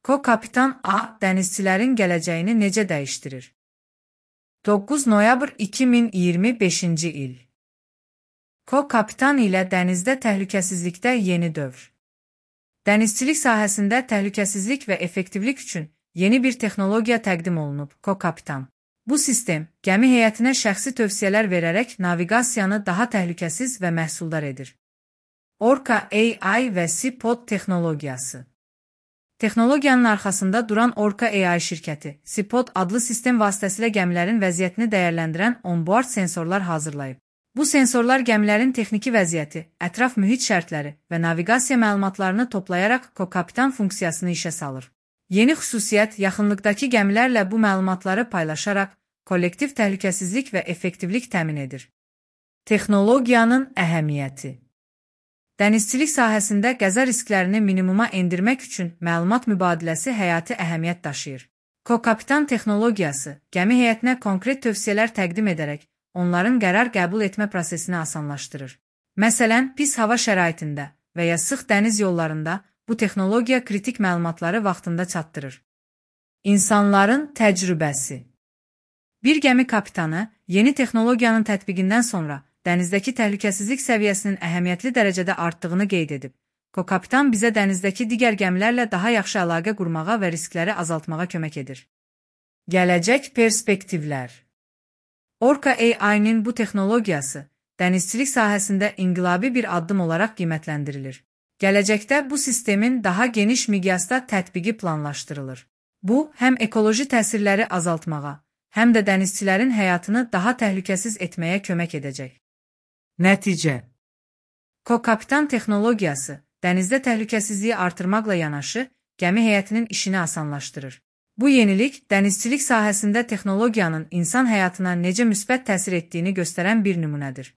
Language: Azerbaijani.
Co-Kapitan A dənizçilərin gələcəyini necə dəyişdirir? 9 noyabr 2025-ci il. Co-Kapitan ilə dənizdə təhlükəsizlikdə yeni dövr. Dənizçilik sahəsində təhlükəsizlik və effektivlik üçün yeni bir texnologiya təqdim olunub. Co-Kapitan. Bu sistem gəmi heyətinə şəxsi tövsiyələr verərək naviqasiyanı daha təhlükəsiz və məhsuldar edir. Orca AI və Seapod texnologiyası. Texnologiyanın arxasında duran Orca AI şirkəti, Seapod adlı sistem vasitəsilə gəmilərin vəziyyətini dəyərləndirən onboard sensorlar hazırlayıb. Bu sensorlar gəmilərin texniki vəziyyəti, ətraf mühit şərtləri və naviqasiya məlumatlarını toplayaraq Co-Kapitan funksiyasını işə salır. Yeni xüsusiyyət yaxınlıqdakı gəmilərlə bu məlumatları paylaşaraq kollektiv təhlükəsizlik və effektivlik təmin edir. Texnologiyanın əhəmiyyəti. Dənizçilik sahəsində qəza risklərini minimuma endirmək üçün məlumat mübadiləsi həyati əhəmiyyət daşıyır. Co-Kapitan texnologiyası gəmi heyətinə konkret tövsiyələr təqdim edərək onların qərar qəbul etmə prosesini asanlaşdırır. Məsələn, pis hava şəraitində və ya sıx dəniz yollarında bu texnologiya kritik məlumatları vaxtında çatdırır. İnsanların təcrübəsi. Bir gəmi kapitanı yeni texnologiyanın tətbiqindən sonra dənizdəki təhlükəsizlik səviyyəsinin əhəmiyyətli dərəcədə artdığını qeyd edib. Co-Kapitan bizə dənizdəki digər gəmilərlə daha yaxşı əlaqə qurmağa və riskləri azaltmağa kömək edir. Gələcək perspektivlər. Orca AI-nin bu texnologiyası dənizçilik sahəsində inqilabi bir addım olaraq qiymətləndirilir. Gələcəkdə bu sistemin daha geniş miqyasda tətbiqi planlaşdırılır. Bu, həm ekoloji təsirləri azaltmağa, həm də dənizçilərin həyatını daha təhlükəsiz etməyə kömək edəcək. Nəticə. Co-Kapitan texnologiyası dənizdə təhlükəsizliyi artırmaqla yanaşı, gəmi heyətinin işini asanlaşdırır. Bu yenilik, dənizçilik sahəsində texnologiyanın insan həyatına necə müsbət təsir etdiyini göstərən bir nümunədir.